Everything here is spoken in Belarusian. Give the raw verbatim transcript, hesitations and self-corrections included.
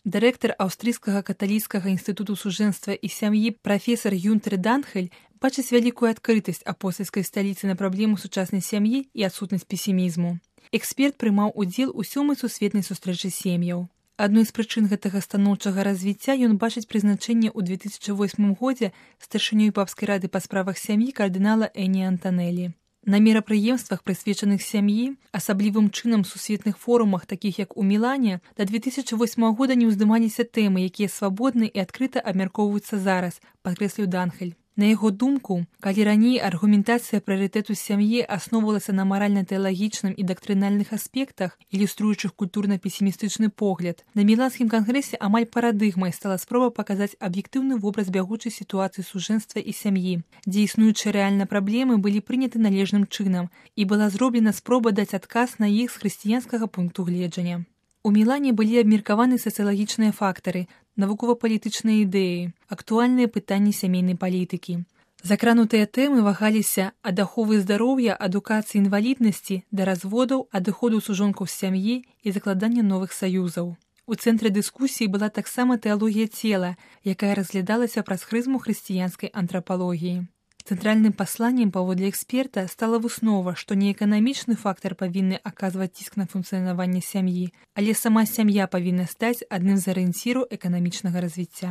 Дырэктар аўстрыйскага каталіцкага інстытуту сужэнства і сям'і прафесар Юнтер Данхель бачыць вялікую адкрытасць апостальскай сталіцы на праблему сучаснай сям'і і адсутнасць песімізму. Эксперт прымаў удзел у сёмай сусветнай сустрэчы сем'яў. Адной з прычын гэтага станоўчага развіцця ён бачыць прызначэнне ў две тысячы восьмым годзе старшынёй папскай рады па справах сям'і кардынала Эні Антанелі. На мерапрыемствах, прысвечаных сям'і, асаблівым чынам сусветных форумах, такіх як у Мілане, да две тысячы восьмага года не ўздымаліся тэмы, якія свабодна і адкрыта абмяркоўваюцца зараз, падкрэсліў Данхель. На яго думку, калі раней аргументацыя прыярытэту сям'і асноўвалася на маральна-тэалагічным і дактрынальных аспектах, ілюструючых культурна-песімістычны погляд, на Міланскім кангрэсе амаль парадыгмай стала спроба паказаць аб'ектыўны вобраз бягучай сітуацыі сужэнства і сям'і, дзе існуючыя рэальна праблемы былі прыняты належным чынам, і была зроблена спроба даць адказ на іх з хрысціянскага пункту гледжання. У Мілане былі абмеркаваны сацыялагічныя фактары, навукова-палітычныя ідэі, актуальныя пытанні сямейнай палітыкі. Закранутыя тэмы вагаліся ад аховы здароўя, адукацыі інваліднасці да разводаў, адыходу сужонкаў з сям'і і закладання новых саюзаў. У цэнтры дыскусіі была таксама тэалогія цела, якая разглядалася праз прызму хрысціянскай антрапалогіі. Цэнтральным пасланнем паводле эксперта стала выснова, што не эканамічны фактар павінны аказваць ціск на функцыянаванне сям'і, але сама сям'я павінна стаць адным з арыенціраў эканамічнага развіцця.